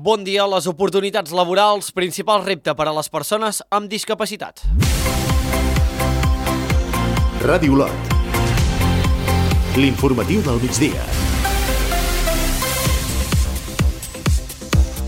Bon dia. Les oportunitats laborals, principal repte per a les persones amb discapacitat. Ràdio Olot. L'informatiu del migdia.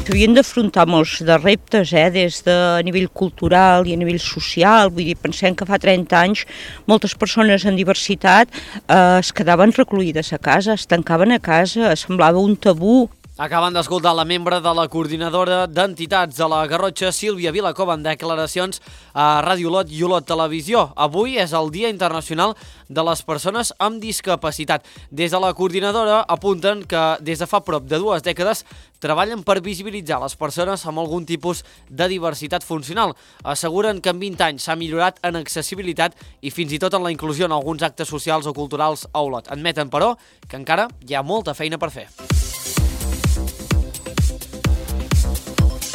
S'havien d'afrontar molts de reptes, des de nivell cultural i a nivell social. Vull dir, pensem que fa 30 anys moltes persones amb diversitat es quedaven recluïdes a casa, es tancaven a casa, semblava un tabú. Acaben d'escoltar la membre de la coordinadora d'entitats de la Garrotxa, Sílvia Vilacova, en declaracions a Ràdio Olot i Olot Televisió. Avui és el Dia Internacional de les Persones amb Discapacitat. Des de la coordinadora apunten que des de fa prop de 2 dècades treballen per visibilitzar les persones amb algun tipus de diversitat funcional. Asseguren que en 20 anys s'ha millorat en accessibilitat i fins i tot en la inclusió en alguns actes socials o culturals a Olot. Admeten, però, que encara hi ha molta feina per fer.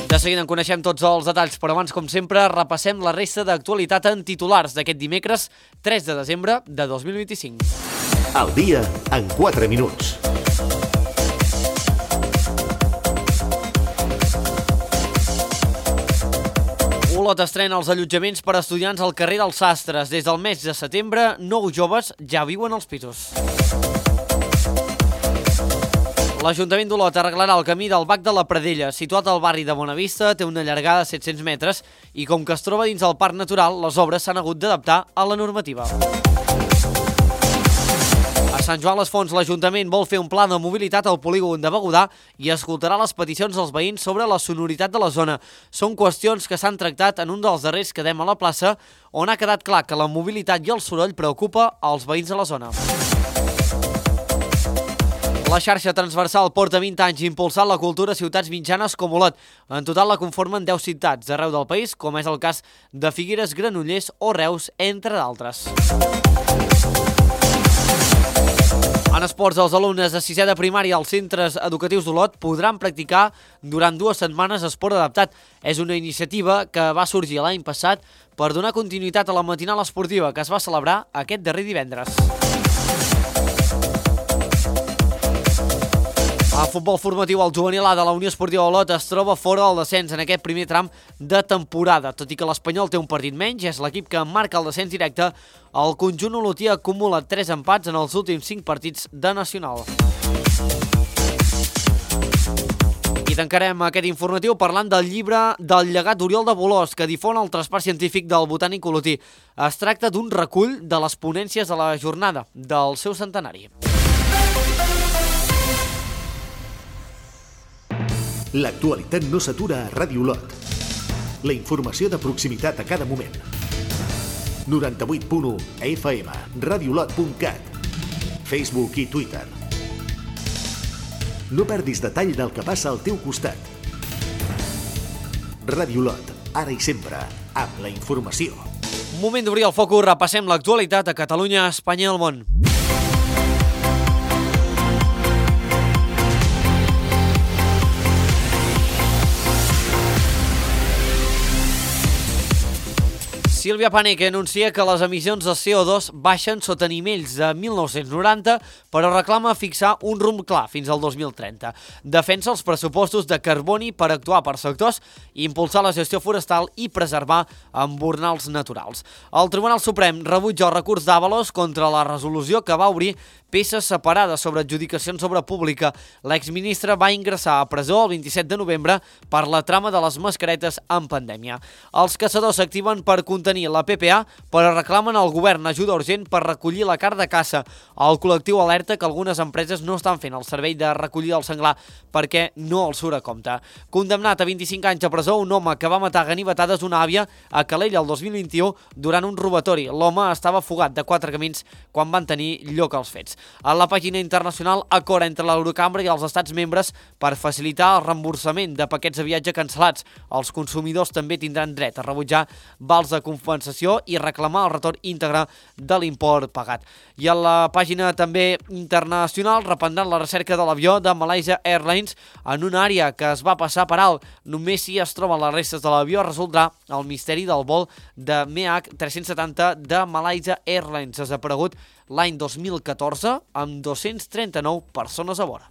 De seguida en coneixem tots els detalls, però abans, com sempre, repassem la resta d'actualitat en titulars d'aquest dimecres 3 de desembre de 2025. El dia en 4 minuts. Olot estrena els allotjaments per a estudiants al carrer dels Sastres. Des del mes de setembre, 9 joves ja viuen als pisos. L'Ajuntament d'Olot arreglarà el camí del Bac de la Pradella, situat al barri de Bonavista, té una llargada de 700 metres i com que es troba dins del Parc Natural, les obres s'han hagut d'adaptar a la normativa. A Sant Joan les Fonts, l'Ajuntament vol fer un pla de mobilitat al polígon de Begudà i escoltarà les peticions dels veïns sobre la sonoritat de la zona. Són qüestions que s'han tractat en un dels darrers Quedem a la plaça, on ha quedat clar que la mobilitat i el soroll preocupa als veïns de la zona. La xarxa transversal porta 20 anys impulsant la cultura a ciutats mitjanes com Olot. En total la conformen 10 ciutats d'arreu del país, com és el cas de Figueres, Granollers o Reus, entre d'altres. En esports, els alumnes de 6è de primària als centres educatius d'Olot podran practicar durant 2 setmanes esport adaptat. És una iniciativa que va sorgir l'any passat per donar continuïtat a la matinal esportiva que es va celebrar aquest darrer divendres. A futbol formatiu, el juvenil A de la Unió Esportiva Olot es troba fora del descens en aquest primer tram de temporada. Tot i que l'Espanyol té un partit menys, és l'equip que marca el descens directe. El conjunt olotí acumula 3 empats en els últims 5 partits de Nacional. I tancarem aquest informatiu parlant del llibre del llegat d'Oriol de Bolòs, que difon el traspàs científic del botànic olotí. Es tracta d'un recull de les ponències de la jornada del seu centenari. L'actualitat no s'atura a Ràdio Olot. La informació de proximitat a cada moment. 98.1 FM, radiolot.cat, Facebook i Twitter. No perdis detall del que passa al teu costat. Ràdio Olot, ara i sempre, amb la informació. Moment d'obrir el focus, repassem l'actualitat a Catalunya, Espanya i el món. Sílvia Paneque anuncia que les emissions de CO2 baixen sota nivells de 1990, però reclama fixar un rumb clar fins al 2030. Defensa els pressupostos de carboni per actuar per sectors, impulsar la gestió forestal i preservar embornals naturals. El Tribunal Suprem rebutja el recurs d'Ábalos contra la resolució que va obrir peces separades sobre adjudicacions d'obra pública. L'exministre va ingressar a presó el 27 de novembre per la trama de les mascaretes en pandèmia. Els caçadors s'activen per contenir la PPA, però reclamen al govern ajuda urgent per recollir la carn de caça. El col·lectiu alerta que algunes empreses no estan fent el servei de recollir el senglar perquè no els surt a compte. Condemnat a 25 anys a presó un home que va matar a ganivetades una àvia a Calella el 2021 durant un robatori. L'home estava fugat de 4 camins quan van tenir lloc els fets. A la pàgina internacional, acord entre l'Eurocambra i els estats membres per facilitar el reemborsament de paquets de viatge cancel·lats. Els consumidors també tindran dret a rebutjar vals de compensació i reclamar el retorn íntegre de l'import pagat. I a la pàgina també internacional, reprendran la recerca de l'avió de Malaysia Airlines en una àrea que es va passar per alt. Només si es troben les restes de l'avió resoldrà el misteri del vol de MH370 de Malaysia Airlines, desaparegut l'any 2014 amb 239 persones a bord.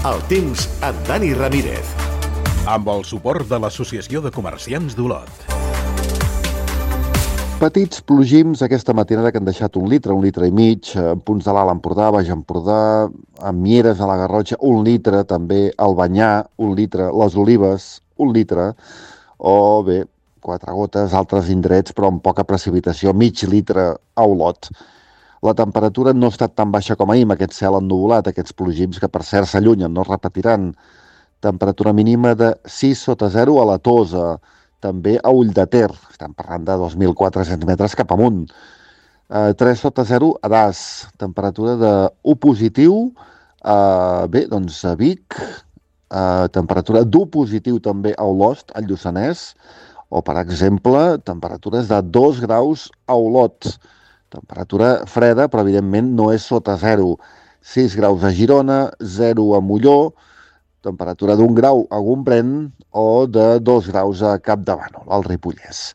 El temps amb Dani Ramírez. Amb el suport de l'Associació de Comerciants d'Olot. Petits plogims aquesta matinada que han deixat 1 litre i mig, en punts de l'Alt Empordà, Baix Empordà, a Mieres, a la Garrotxa, 1 litre, també al Banyar, 1 litre, les Olives, 1 litre, o bé, 4 gotes, altres indrets, però amb poca precipitació, mig litre a Olot. La temperatura no ha estat tan baixa com ahir, amb aquest cel ennuvolat, aquests plogims que per cert s'allunyen, no es repetiran. Temperatura mínima de 6 sota 0 a la Tosa, també a Ull de Ter, estem parlant de 2.400 metres cap amunt. 3 sota 0 a Das, temperatura de 1 positiu, bé, doncs a Vic, temperatura d'1 positiu també a Olost, al Lluçanès, o per exemple, temperatures de 2 graus a Olot. Temperatura freda, però evidentment no és sota 0. 6 graus a Girona, 0 a Molló, temperatura d'1 grau a Gombrèn o de 2 graus a Capdavànol, al Ripollès.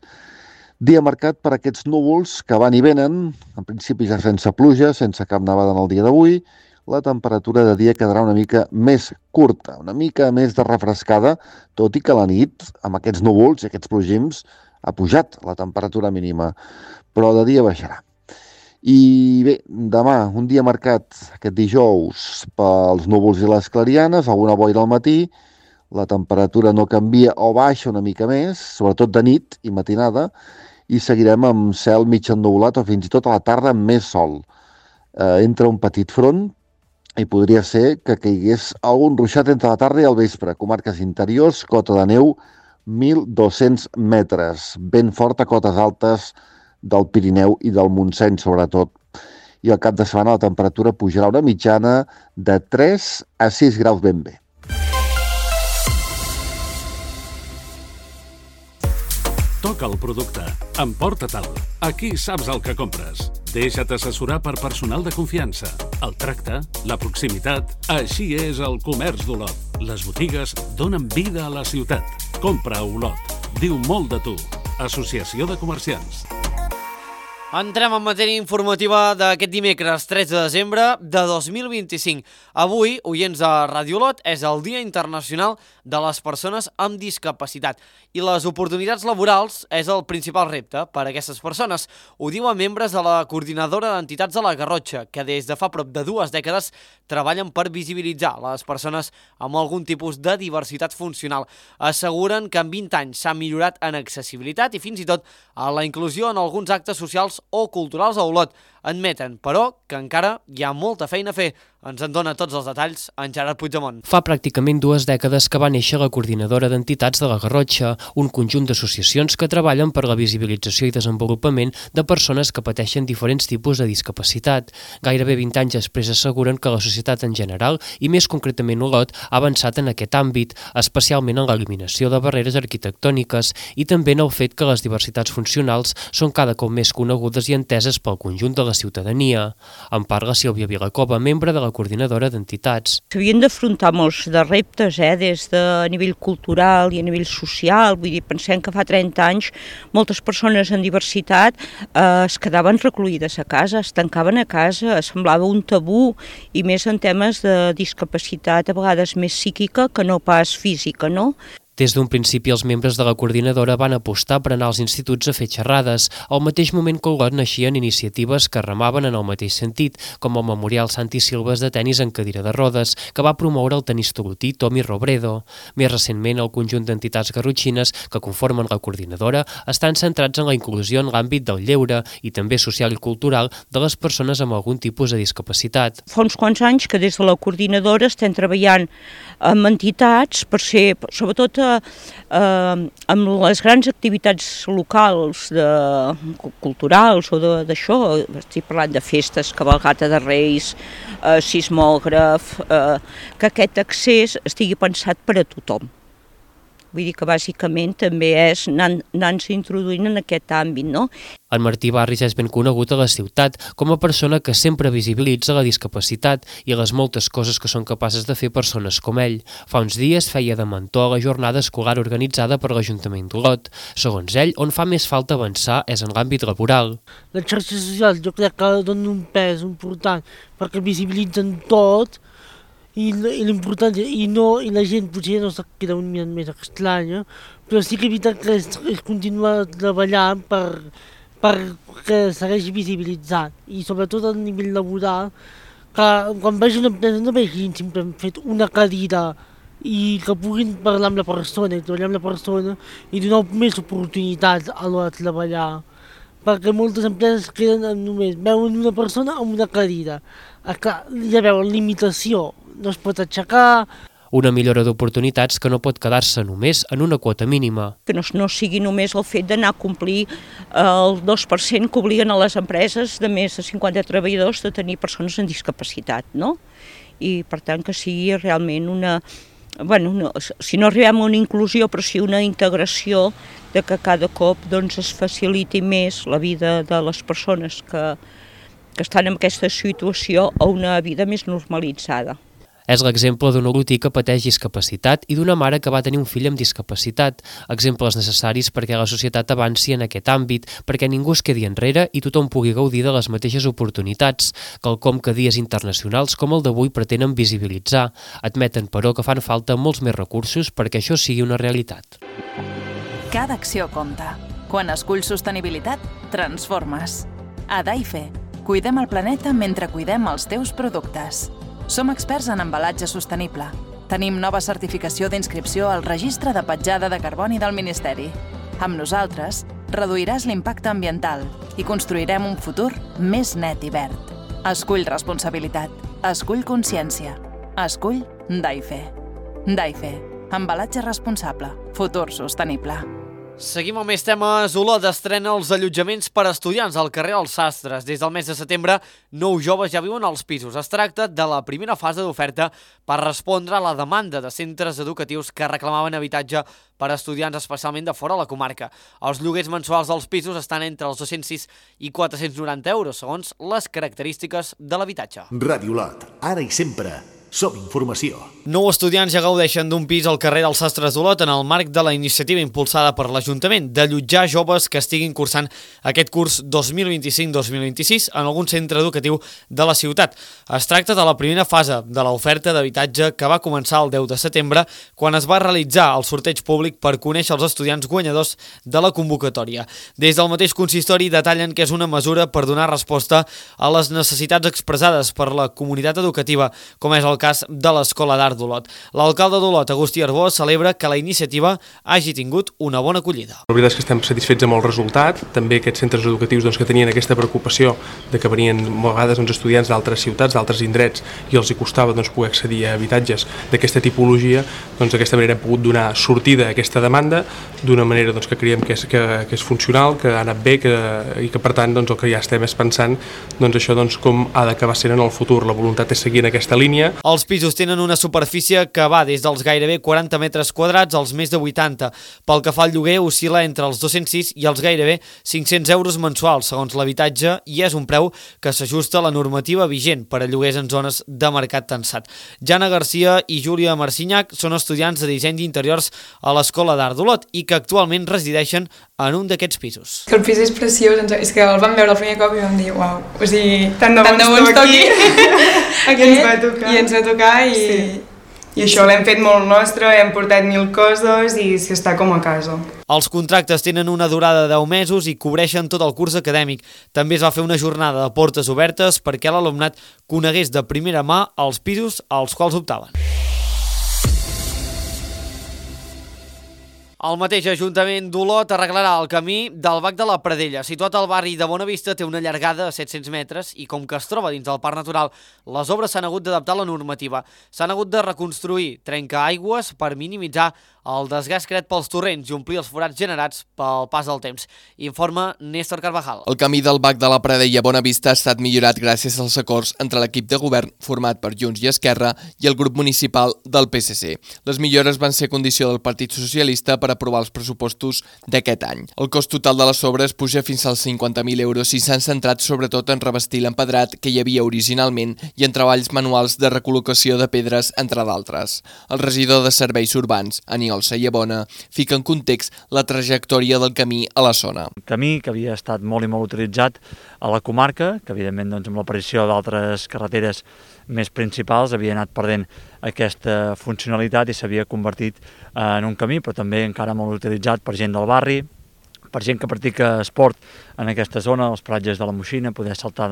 Dia marcat per aquests núvols que van i venen, en principi ja sense pluja, sense cap nevada en el dia d'avui. La temperatura de dia quedarà una mica més curta, una mica més de refrescada, tot i que la nit, amb aquests núvols i aquests plogims, ha pujat la temperatura mínima, però de dia baixarà. I bé, demà, un dia marcat, aquest dijous, pels núvols i les clarianes, alguna boira al matí, la temperatura no canvia o baixa una mica més, sobretot de nit i matinada, i seguirem amb cel mig ennuvolat o fins i tot a la tarda amb més sol. Entra un petit front i podria ser que caigués algun ruixat entre la tarda i el vespre. Comarques interiors, cota de neu, 1.200 metres, ben fort a cotes altes del Pirineu i del Montseny, sobretot. I al cap de setmana la temperatura pujarà una mitjana de 3 a 6 graus ben bé. Toca el producte. Emporta-te'l. Aquí saps el que compres. Deixa't assessorar per personal de confiança. El tracte, la proximitat, així és el comerç d'Olot. Les botigues donen vida a la ciutat. Compra a Olot. Diu molt de tu. Associació de Comerciants. Entrem en matèria informativa d'aquest dimecres 13 de desembre de 2025. Avui, oients de Ràdio Olot, és el Dia Internacional de les Persones amb Discapacitat i les oportunitats laborals és el principal repte per a aquestes persones. Ho diuen membres de la Coordinadora d'Entitats de la Garrotxa, que des de fa prop de 2 dècades treballen per visibilitzar les persones amb algun tipus de diversitat funcional. Asseguren que en 20 anys s'ha millorat en accessibilitat i fins i tot en la inclusió en alguns actes socials o culturals a Olot. Admeten, però, que encara hi ha molta feina a fer. Ens en dona tots els detalls en Gerard Puigdemont. Fa pràcticament 2 dècades que va néixer la Coordinadora d'Entitats de la Garrotxa, un conjunt d'associacions que treballen per la visibilització i desenvolupament de persones que pateixen diferents tipus de discapacitat. Gairebé 20 anys després asseguren que la societat en general, i més concretament Olot, ha avançat en aquest àmbit, especialment en l'eliminació de barreres arquitectòniques i també en el fet que les diversitats funcionals són cada cop més conegudes i enteses pel conjunt de la ciutadania. En parla Sílvia Vilacova, membre de la Coordinadora d'Entitats. S'havien d'afrontar molts de reptes, des de nivell cultural i a nivell social. Vull dir, pensem que fa 30 anys moltes persones amb diversitat es quedaven recluïdes a casa, es tancaven a casa, semblava un tabú, i més en temes de discapacitat, a vegades més psíquica que no pas física, no? Des d'un principi, els membres de la coordinadora van apostar per anar als instituts a fer xerrades, al mateix moment que Olot naixien iniciatives que remaven en el mateix sentit, com el Memorial Santi Silves de tenis en cadira de rodes, que va promoure el tenista olotí Tomi Robredo. Més recentment, el conjunt d'entitats garrotxines que conformen la coordinadora estan centrats en la inclusió en l'àmbit del lleure i també social i cultural de les persones amb algun tipus de discapacitat. Fa uns quants anys que des de la coordinadora estem treballant amb entitats per ser, sobretot amb les grans activitats locals, culturals o d'això, estic parlant de festes, cavalcata de Reis, sismògraf, que aquest accés estigui pensat per a tothom. Vull dir que bàsicament també és anar-se introduint en aquest àmbit, no? En Martí Barris és ben conegut a la ciutat com a persona que sempre visibilitza la discapacitat i les moltes coses que són capaces de fer persones com ell. Fa uns dies feia de mentor a la jornada escolar organitzada per l'Ajuntament d'Olot. Segons ell, on fa més falta avançar és en l'àmbit laboral. Les xarxes socials jo crec que donen un pes important perquè visibilitzen tot i l'importància, i la gent potser no se queda un mica més estranya, però sí que és veritat que és continuar treballant perquè segueixi visibilitzant, i sobretot a nivell laboral, que quan vagi una empresa no vegin sempre hem fet una cadira i que puguin parlar amb la persona i treballar amb la persona i donar més oportunitats a l'hora de treballar. Perquè moltes empreses queden només, veuen una persona amb una cadira. Clar, ja veuen limitació, no es pot aixecar. Una millora d'oportunitats que no pot quedar-se només en una quota mínima. Que no sigui només el fet d'anar a complir el 2% que obliguen a les empreses de més de 50 treballadors de tenir persones amb discapacitat, no? I per tant que sigui realment una... si no arribem a una inclusió, però sí una integració de que cada cop es faciliti més la vida de les persones que estan en aquesta situació a una vida més normalitzada. És l'exemple d'un olotí que pateix discapacitat i d'una mare que va tenir un fill amb discapacitat, exemples necessaris perquè la societat avanci en aquest àmbit, perquè ningú es quedi enrere i tothom pugui gaudir de les mateixes oportunitats, quelcom que dies internacionals com el d'avui pretenen visibilitzar. Admeten, però, que fan falta molts més recursos perquè això sigui una realitat. Cada acció compta. Quan esculls sostenibilitat, transformes. A Daife, cuidem el planeta mentre cuidem els teus productes. Som experts en embalatge sostenible. Tenim nova certificació d'inscripció al Registre de Petjada de Carboni del Ministeri. Amb nosaltres, reduiràs l'impacte ambiental i construirem un futur més net i verd. Escull responsabilitat. Escull consciència. Escull Daife. Daife. Embalatge responsable. Futur sostenible. Seguim amb més temes. Olot estrena els allotjaments per a estudiants al carrer Els Sastres. Des del mes de setembre, 9 joves ja viuen als pisos. Es tracta de la primera fase d'oferta per respondre a la demanda de centres educatius que reclamaven habitatge per a estudiants, especialment de fora de la comarca. Els lloguers mensuals dels pisos estan entre els 206 i 490 euros, segons les característiques de l'habitatge. Ràdio Olot, ara i sempre. Som informació. 9 estudiants ja gaudeixen d'un pis al carrer dels Sastres d'Olot en el marc de la iniciativa impulsada per l'Ajuntament d'allotjar joves que estiguin cursant aquest curs 2025-2026 en algun centre educatiu de la ciutat. Es tracta de la primera fase de l'oferta d'habitatge que va començar el 10 de setembre quan es va realitzar el sorteig públic per conèixer els estudiants guanyadors de la convocatòria. Des del mateix consistori detallen que és una mesura per donar resposta a les necessitats expressades per la comunitat educativa, com és el cas de l'Escola d'Art d'Olot. L'alcalde d'Olot, Agustí Arbó, celebra que la iniciativa hagi tingut una bona acollida. La veritat és que estem satisfets amb el resultat. També aquests centres educatius que tenien aquesta preocupació de que venien a vegades estudiants d'altres ciutats, d'altres indrets, i els hi costava poder accedir a habitatges d'aquesta tipologia, d'aquesta manera hem pogut donar sortida a aquesta demanda d'una manera que creiem que és funcional, que ha anat bé i que per tant el que ja estem és pensant això com ha d'acabar sent en el futur. La voluntat és seguir en aquesta línia. Els pisos tenen una superfície que va des dels gairebé 40 metres quadrats als més de 80. Pel que fa al lloguer, oscil·la entre els 206 i els gairebé 500 euros mensuals, segons l'habitatge, i és un preu que s'ajusta a la normativa vigent per a lloguers en zones de mercat tensat. Jana Garcia i Júlia Marcinyac són estudiants de disseny d'interiors a l'Escola d'Art d'Olot i que actualment resideixen en un d'aquests pisos. El pis és preciós, és que el vam veure el primer cop i vam dir, uau, o sigui, tant de bo ens toqui. Aquí ens va tocar. I ens va tocar i això l'hem fet molt nostre, hem portat 1000 coses i s'està com a casa. Els contractes tenen una durada de 10 mesos i cobreixen tot el curs acadèmic. També es va fer una jornada de portes obertes perquè l'alumnat conegués de primera mà els pisos als quals optaven. El mateix Ajuntament d'Olot arreglarà el camí del Bac de la Pradella. Situat al barri de Bonavista, té una llargada de 700 metres i com que es troba dins del Parc Natural, les obres s'han hagut d'adaptar a la normativa. S'han hagut de reconstruir trencaaigües per minimitzar el desgast creat pels torrents i omplir els forats generats pel pas del temps. Informa Néstor Carvajal. El camí del Bac de la Pradella a Bonavista ha estat millorat gràcies als acords entre l'equip de govern format per Junts i Esquerra i el grup municipal del PSC. Les millores van ser condició del Partit Socialista per aprovar els pressupostos d'aquest any. El cost total de les obres puja fins als 50.000 euros i s'han centrat sobretot en revestir l'empedrat que hi havia originalment i en treballs manuals de recol·locació de pedres, entre d'altres. El regidor de Serveis Urbans, Aniol Sayabona, fica en context la trajectòria del camí a la zona. El camí, que havia estat molt i molt utilitzat, a la comarca, que evidentment amb l'aparició d'altres carreteres més principals havia anat perdent aquesta funcionalitat i s'havia convertit en un camí, però també encara molt utilitzat per gent del barri, per gent que practica esport en aquesta zona, als paratges de la Moixina, poder saltar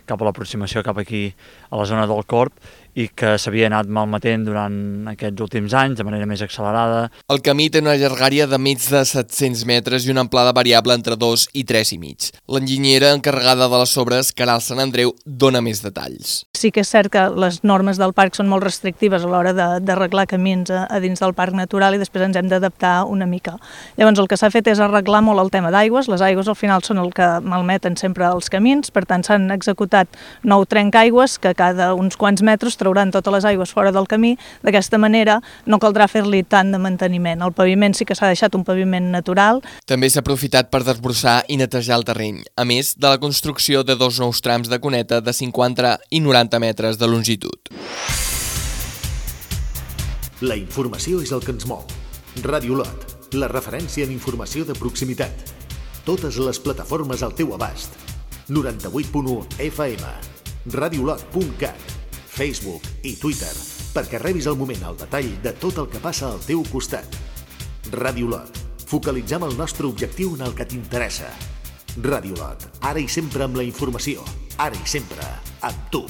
cap a l'aproximació cap aquí a la zona del Corb, i que s'havia anat malmetent durant aquests últims anys de manera més accelerada. El camí té una llargària de més de 700 metres i una amplada variable entre 2 i 3,5. L'enginyera encarregada de les obres, Caral Sant Andreu, dona més detalls. Sí que és cert que les normes del parc són molt restrictives a l'hora d'arreglar camins a dins del parc natural i després ens hem d'adaptar una mica. Llavors el que s'ha fet és arreglar molt el tema d'aigües. Les aigües al final són el que malmeten sempre els camins, per tant s'han executat 9 trencaaigües que cada uns quants metres trauran totes les aigües fora del camí. D'aquesta manera no caldrà fer-li tant de manteniment. El paviment sí que s'ha deixat un paviment natural. També s'ha aprofitat per desbrossar i netejar el terreny, a més de la construcció de 2 nous trams de cuneta de 50 i 90 metres de longitud. La informació és el que ens mou. Ràdio Lot, la referència en informació de proximitat. Totes les plataformes al teu abast. 98.1 FM, radiolot.cat, Facebook i Twitter, perquè rebis al moment el detall de tot el que passa al teu costat. Ràdio Lot, focalitzem el nostre objectiu en el que t'interessa. Ràdio Lot, ara i sempre amb la informació, ara i sempre amb tu.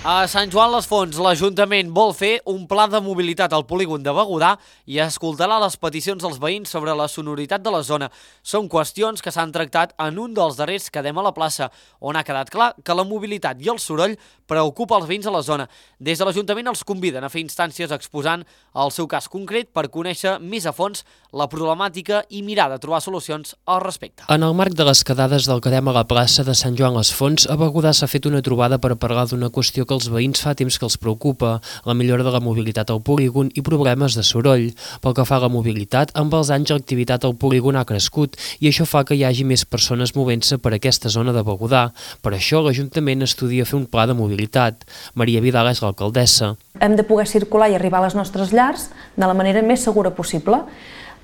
A Sant Joan les Fonts, l'Ajuntament vol fer un pla de mobilitat al polígon de Begudà i escoltarà les peticions dels veïns sobre la sonoritat de la zona. Són qüestions que s'han tractat en un dels darrers Quedem a la plaça, on ha quedat clar que la mobilitat i el soroll preocupa els veïns a la zona. Des de l'Ajuntament els conviden a fer instàncies exposant el seu cas concret per conèixer més a fons la problemàtica i mirar de trobar solucions al respecte. En el marc de les quedades del Quedem a la plaça de Sant Joan les Fonts, a Begudà s'ha fet una trobada per parlar d'una qüestió que els veïns fa temps que els preocupa, la millora de la mobilitat al polígon i problemes de soroll. Pel que fa a la mobilitat, amb els anys l'activitat al polígon ha crescut i això fa que hi hagi més persones movent-se per aquesta zona de Begudà. Per això l'Ajuntament estudia fer un pla de mobilitat. Maria Vidal és l'alcaldessa. Hem de poder circular i arribar a les nostres llars de la manera més segura possible.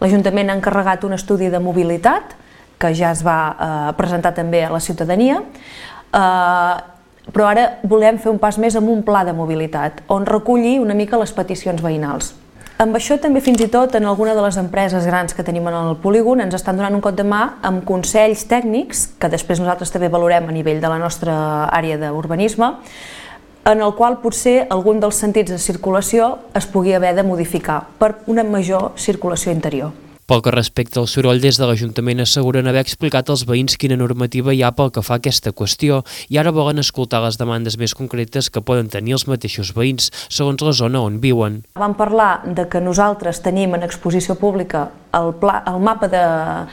L'Ajuntament ha encarregat un estudi de mobilitat que ja es va presentar també a la ciutadania, però ara volem fer un pas més amb un pla de mobilitat, on reculli una mica les peticions veïnals. Amb això també fins i tot en alguna de les empreses grans que tenim en el polígon ens estan donant un cop de mà amb consells tècnics, que després nosaltres també valorem a nivell de la nostra àrea d'urbanisme, en el qual potser algun dels sentits de circulació es pugui haver de modificar per una major circulació interior. Pel que respecta al soroll, des de l'Ajuntament asseguren haver explicat als veïns quina normativa hi ha pel que fa a aquesta qüestió i ara volen escoltar les demandes més concretes que poden tenir els mateixos veïns, segons la zona on viuen. Vam parlar de que nosaltres tenim en exposició pública el mapa de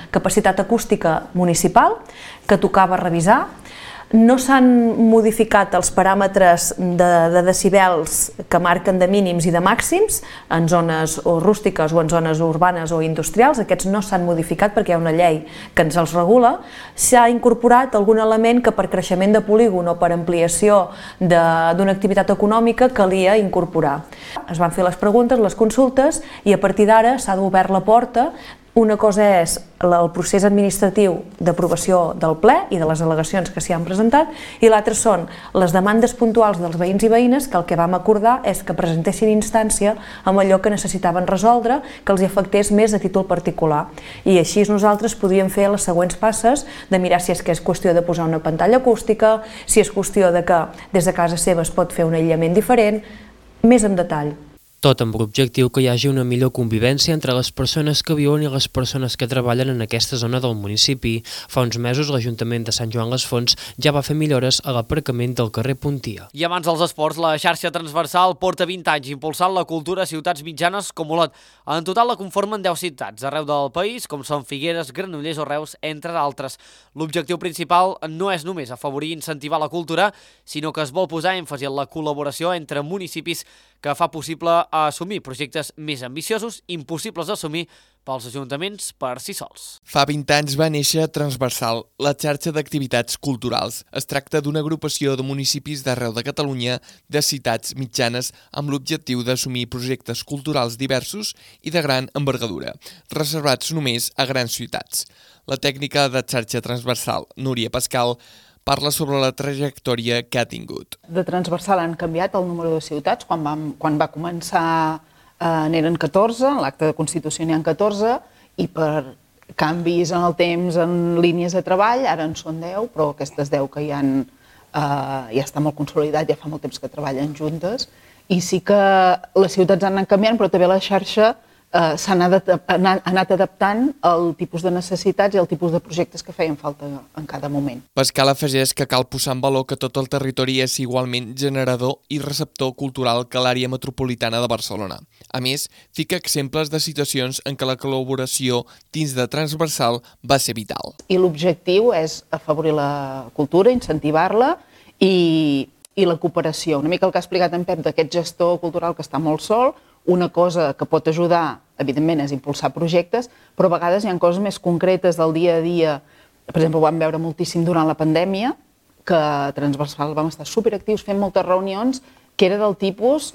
capacitat acústica municipal, que tocava revisar. No s'han modificat els paràmetres de decibels que marquen de mínims i de màxims en zones o rústiques o en zones urbanes o industrials. Aquests no s'han modificat perquè hi ha una llei que ens els regula. S'ha incorporat algun element que per creixement de polígon o per ampliació d'una activitat econòmica calia incorporar. Es van fer les preguntes, les consultes i a partir d'ara s'ha obert la porta. Una cosa és el procés administratiu d'aprovació del ple i de les al·legacions que s'hi han presentat i l'altre són les demandes puntuals dels veïns i veïnes que el que vam acordar és que presentessin instància amb allò que necessitaven resoldre que els afectés més a títol particular. I així nosaltres podríem fer les següents passes de mirar si és que és qüestió de posar una pantalla acústica, si és qüestió de que des de casa seva es pot fer un aïllament diferent, més en detall. Tot amb l'objectiu que hi hagi una millor convivència entre les persones que viuen i les persones que treballen en aquesta zona del municipi. Fa uns mesos l'Ajuntament de Sant Joan les Fonts ja va fer millores a l'aparcament del carrer Puntia. I abans dels esports, la xarxa transversal porta 20 anys impulsant la cultura a ciutats mitjanes com Olot. En total la conformen 10 ciutats arreu del país, com són Figueres, Granollers o Reus, entre d'altres. L'objectiu principal no és només afavorir i incentivar la cultura, sinó que es vol posar èmfasi en la col·laboració entre municipis que fa possible a assumir projectes més ambiciosos, impossibles d'assumir pels ajuntaments per si sols. Fa 20 anys va néixer Transversal, la xarxa d'activitats culturals. Es tracta d'una agrupació de municipis d'arreu de Catalunya, de ciutats mitjanes, amb l'objectiu d'assumir projectes culturals diversos i de gran envergadura, reservats només a grans ciutats. La tècnica de xarxa transversal, Núria Pascal, parla sobre la trajectòria que ha tingut. De transversal han canviat el número de ciutats. Quan va començar n'eren 14, en l'acte de Constitució n'hi ha 14, i per canvis en el temps, en línies de treball, ara en són 10, però aquestes 10 que ja està molt consolidat, ja fa molt temps que treballen juntes, i sí que les ciutats han anat canviant, però també la xarxa s'ha anat adaptant al tipus de necessitats i al tipus de projectes que feien falta en cada moment. Pascal afegeix que cal posar en valor que tot el territori és igualment generador i receptor cultural que l'àrea metropolitana de Barcelona. A més, fica exemples de situacions en què la col·laboració dins de Transversal va ser vital. I l'objectiu és afavorir la cultura, incentivar-la i la cooperació. Una mica el que ha explicat en Pep d'aquest gestor cultural que està molt sol. Una cosa que pot ajudar, evidentment, és impulsar projectes, però a vegades hi ha coses més concretes del dia a dia. Per exemple, ho vam veure moltíssim durant la pandèmia, que a Transversal vam estar superactius fent moltes reunions, que era del tipus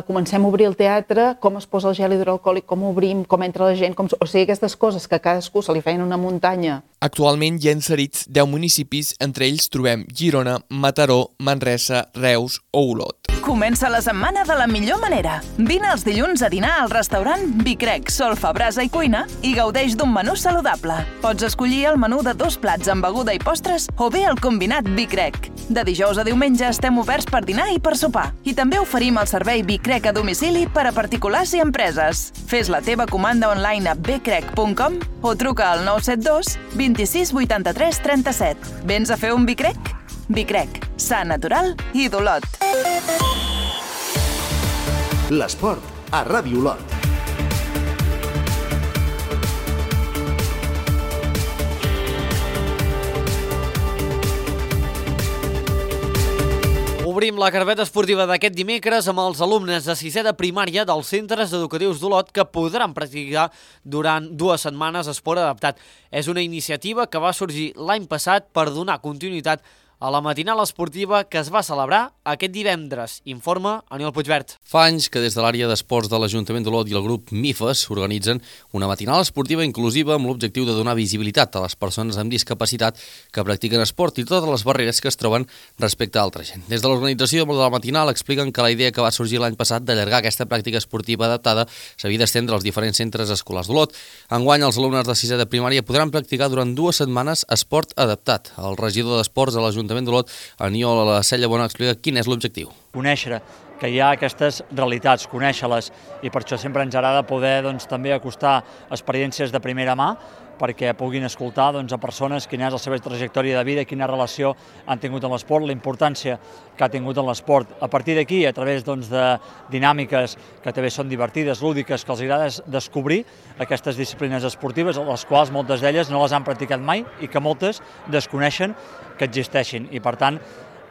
comencem a obrir el teatre, com es posa el gel hidroalcohòlic, com obrim, com entra la gent, o sigui, aquestes coses que a cadascú se li feien una muntanya. Actualment hi ha inserits 10 municipis, entre ells trobem Girona, Mataró, Manresa, Reus o Olot. Comença la setmana de la millor manera. Vine els dilluns a dinar al restaurant Vicrec, Solfa, Brasa i Cuina i gaudeix d'un menú saludable. Pots escollir el menú de 2 plats amb beguda i postres o bé el combinat Vicrec. De dijous a diumenge estem oberts per dinar i per sopar. I també oferim el servei Vicrec a domicili per a particulars i empreses. Fes la teva comanda online a becrec.com o truca al 972 26 83 37. Vens a fer un Vicrec? Vicrec, sa natural i d'Olot. L'esport a Ràdio Olot. Obrim la carpeta esportiva d'aquest dimecres amb els alumnes de 6è de primària dels centres educatius d'Olot que podran practicar durant 2 setmanes esport adaptat. És una iniciativa que va sorgir l'any passat per donar continuïtat a la matinal esportiva que es va celebrar aquest divendres. Informa Aniol Puigvert. Fa anys que des de l'àrea d'esports de l'Ajuntament d'Olot i el grup MIFES organitzen una matinal esportiva inclusiva amb l'objectiu de donar visibilitat a les persones amb discapacitat que practiquen esport i totes les barreres que es troben respecte a altra gent. Des de l'organització de la matinal expliquen que la idea que va sorgir l'any passat d'allargar aquesta pràctica esportiva adaptada s'havia d'estendre als diferents centres escolars d'Olot. Enguany, els alumnes de 6è de primària podran practicar durant 2 setmanes esport adaptat. El regidor d'Esports de l'Ajuntament d'Olot, Aniol Sella-Bona, explica quin és l'objectiu. Conèixer que hi ha aquestes realitats, conèixer-les, i per això sempre ens agrada poder també acostar experiències de primera mà perquè puguin escoltar a persones quina és la seva trajectòria de vida, quina relació han tingut amb l'esport, la importància que ha tingut en l'esport. A partir d'aquí, a través de dinàmiques que també són divertides, lúdiques, que els agrada descobrir aquestes disciplines esportives, les quals moltes d'elles no les han practicat mai i que moltes desconeixen que existeixin. I per tant,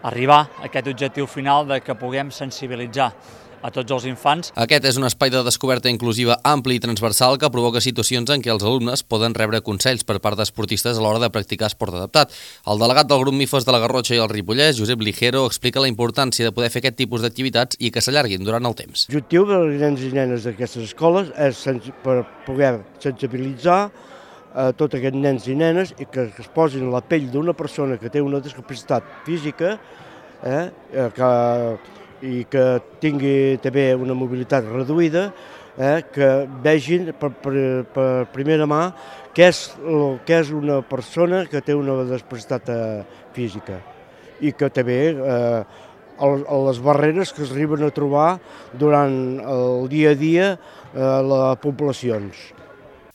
arribar a aquest objectiu final de que puguem sensibilitzar a tots els infants. Aquest és un espai de descoberta inclusiva ampli i transversal que provoca situacions en què els alumnes poden rebre consells per part d'esportistes a l'hora de practicar esport adaptat. El delegat del grup MIFES de la Garrotxa i el Ripollès, Josep Ligero, explica la importància de poder fer aquest tipus d'activitats i que s'allarguin durant el temps. L'objectiu dels nens i nenes d'aquestes escoles és per poder sensibilitzar a tots aquests nens i nenes i que es posin a la pell d'una persona que té una discapacitat física i que tingui també una mobilitat reduïda, que vegin per primera mà què és una persona que té una discapacitat física i que també les barreres que es arriben a trobar durant el dia a dia a les poblacions.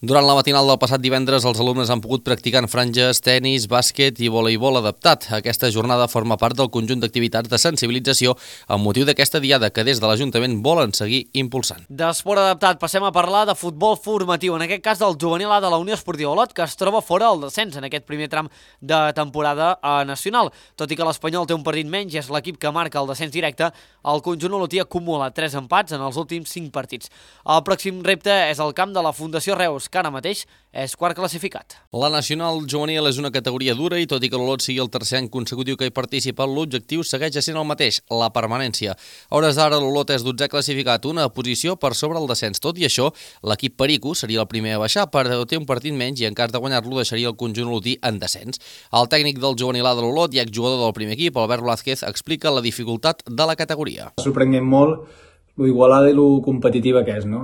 Durant la matinal del passat divendres, els alumnes han pogut practicar en franges, tenis, bàsquet i voleibol adaptat. Aquesta jornada forma part del conjunt d'activitats de sensibilització amb motiu d'aquesta diada que des de l'Ajuntament volen seguir impulsant. D'esport adaptat passem a parlar de futbol formatiu, en aquest cas del juvenil A de la Unió Esportiva Olot, que es troba fora del descens en aquest primer tram de temporada nacional. Tot i que l'Espanyol té un partit menys i és l'equip que marca el descens directe, el conjunt olotí acumula 3 empats en els últims 5 partits. El pròxim repte és el camp de la Fundació Reus, que ara mateix és quart classificat. La nacional juvenil és una categoria dura i tot i que l'Olot sigui el tercer any consecutiu que hi participa, l'objectiu segueix sent el mateix, la permanència. A hores d'ara l'Olot és 12è classificat, una posició per sobre el descens. Tot i això, l'equip Perico seria el primer a baixar, però té un partit menys i en cas de guanyar-lo deixaria el conjunt olotí en descens. El tècnic del juvenil A de l'Olot i exjugador del primer equip, Albert Blázquez, explica la dificultat de la categoria. Sorprenent molt lo igualada i lo competitiva que és, no?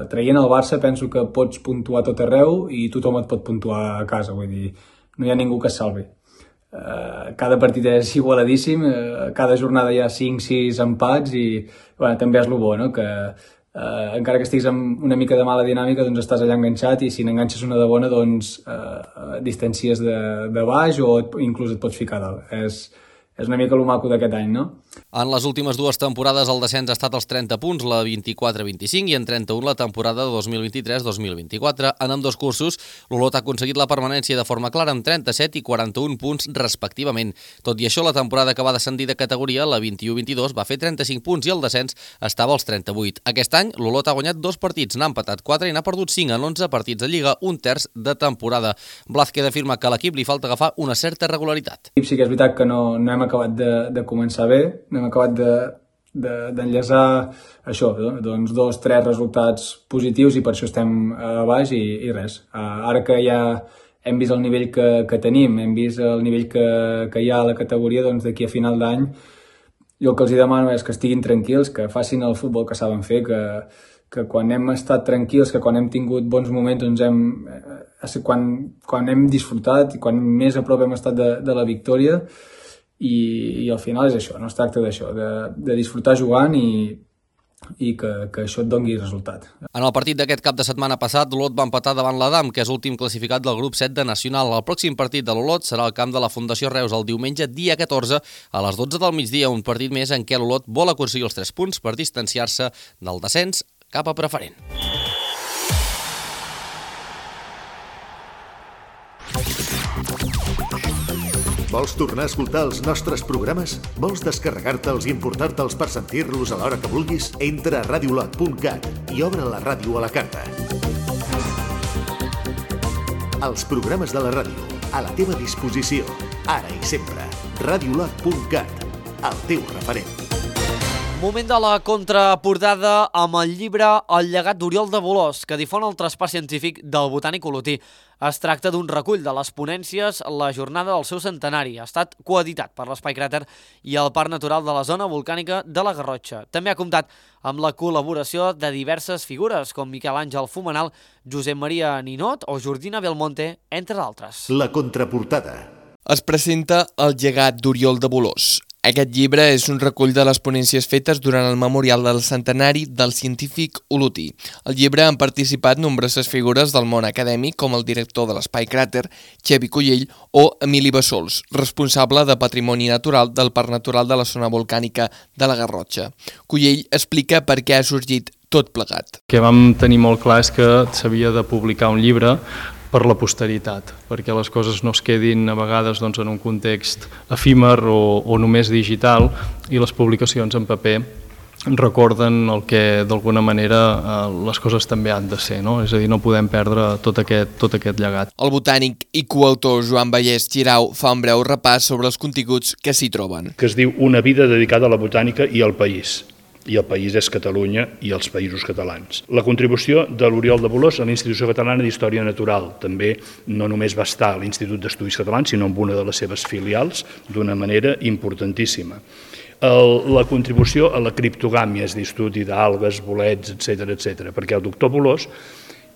Traient el Barça penso que pots puntuar tot arreu i tothom et pot puntuar a casa, vull dir, no hi ha ningú que es salvi. Cada partit és igualadíssim, cada jornada hi ha 5-6 empats i bueno, també és lo bo, no? Que encara que estiguis amb una mica de mala dinàmica, doncs estàs allà enganxat i si n'enganxes una de bona, doncs distancies de baix o inclús et pots ficar dalt. És una mica el maco d'aquest any, no? En les últimes 2 temporades el descens ha estat als 30 punts, la 24-25 i en 31 la temporada 2023-2024. En ambdós cursos, l'Olot ha aconseguit la permanència de forma clara amb 37 i 41 punts respectivament. Tot i això, la temporada que va descendir de categoria, la 21-22, va fer 35 punts i el descens estava als 38. Aquest any, l'Olot ha guanyat 2 partits, n'ha empatat 4 i n'ha perdut 5 en 11 partits de Lliga, un terç de temporada. Blázquez afirma que a l'equip li falta agafar una certa regularitat. Sí que és veritat que no hem acabat de començar bé, no hem acabat d'enllaçar això, doncs 2-3 resultats positius i per això estem a baix i res. Ara que ja hem vist el nivell que tenim, hem vist el nivell que hi ha a la categoria, doncs d'aquí a final d'any jo el que els demano és que estiguin tranquils, que facin el futbol que saben fer, que quan hem estat tranquils, que quan hem tingut bons moments, doncs quan hem disfrutat i quan més a prop hem estat de la victòria, i al final és això, no es tracta d'això, de disfrutar jugant i que això et doni resultat. En el partit d'aquest cap de setmana passat, l'Olot va empatar davant l'Adam, que és l'últim classificat del grup 7 de Nacional. El pròxim partit de l'Olot serà al camp de la Fundació Reus el diumenge, dia 14, a les 12 del migdia, un partit més en què l'Olot vol aconseguir els 3 punts per distanciar-se del descens cap a preferent. Vols tornar a escoltar els nostres programes? Vols descarregar-te'ls i importar-te'ls per sentir-los a l'hora que vulguis? Entra a radiolot.cat i obre la ràdio a la carta. Els programes de la ràdio, a la teva disposició, ara i sempre. Radiolot.cat, el teu referent. Moment de la contraportada amb el llibre El llegat d'Oriol de Bolòs, que difon el traspàs científic del botànic olotí. Es tracta d'un recull de les ponències la jornada del seu centenari. Ha estat coeditat per l'Espai Cràter i el Parc Natural de la Zona Volcànica de la Garrotxa. També ha comptat amb la col·laboració de diverses figures, com Miquel Àngel Fumenal, Josep Maria Ninot o Jordina Belmonte, entre d'altres. La contraportada. Es presenta El llegat d'Oriol de Bolòs. Aquest llibre és un recull de les ponències fetes durant el memorial del centenari del científic olotí. Al llibre han participat nombroses figures del món acadèmic, com el director de l'Espai Cràter, Xevi Collell, o Emili Bassols, responsable de Patrimoni Natural del Parc Natural de la Zona Volcànica de la Garrotxa. Collell explica per què ha sorgit tot plegat. El que vam tenir molt clar és que s'havia de publicar un llibre per la posteritat, perquè les coses no es quedin a vegades en un context efímer o només digital, i les publicacions en paper recorden el que d'alguna manera les coses també han de ser, no? És a dir, no podem perdre tot aquest llegat. El botànic i coautor Joan Vallès Girau fa un breu repàs sobre els continguts que s'hi troben. Que es diu Una vida dedicada a la botànica i al país. I el país és Catalunya i els països catalans. La contribució de l'Oriol de Bolòs a l'Institució Catalana d'Història Natural. També no només va estar a l'Institut d'Estudis Catalans, sinó en una de les seves filials, d'una manera importantíssima. La contribució a la criptogàmia, és a dir, estudi d'algues, bolets, etc., perquè el doctor Bolòs,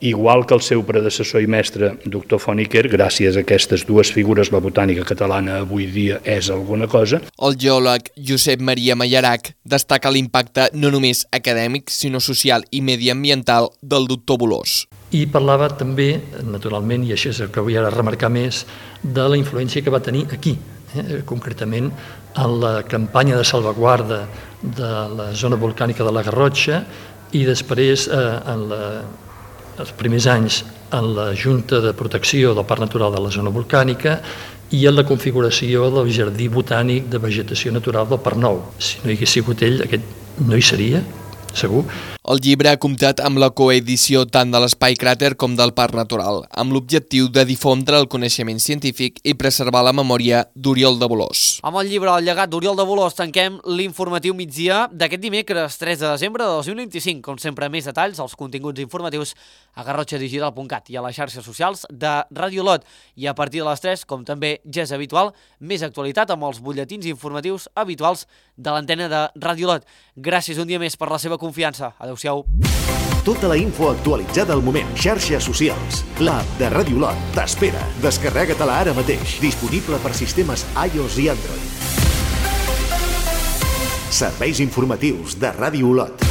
igual que el seu predecessor i mestre, doctor Foniker, gràcies a aquestes dues figures la botànica catalana avui dia és alguna cosa. El geòleg Josep Maria Mallarac destaca l'impacte no només acadèmic, sinó social i mediambiental del doctor Bolòs. I parlava també, naturalment, i això és el que vull ara remarcar més, de la influència que va tenir aquí, concretament en la campanya de salvaguarda de la zona volcànica de la Garrotxa i després, els primers anys, en la Junta de Protecció del Parc Natural de la Zona Volcànica i en la configuració del Jardí Botànic de Vegetació Natural del Parc Nou. Si no hi hagués sigut ell, aquest no hi seria, segur. El llibre ha comptat amb la coedició tant de l'Espai Cràter com del Parc Natural, amb l'objectiu de difondre el coneixement científic i preservar la memòria d'Oriol de Bolòs. Amb el llibre El llegat d'Oriol de Bolòs tanquem l'informatiu migdia d'aquest dimecres 3 de desembre de 2025. Com sempre, més detalls als continguts informatius a garrotxadigital.cat i a les xarxes socials de Ràdio Olot. I a partir de les 3, com també ja és habitual, més actualitat amb els butlletins informatius habituals de l'antena de Ràdio Olot. Gràcies un dia més per la seva confiança. Adéu-siau. Tota la info actualitzada al moment. Xarxes socials. L'app de Ràdio Olot t'espera. Descarrega-te-la ara mateix. Disponible per sistemes iOS i Android. Serveis informatius de Ràdio Olot.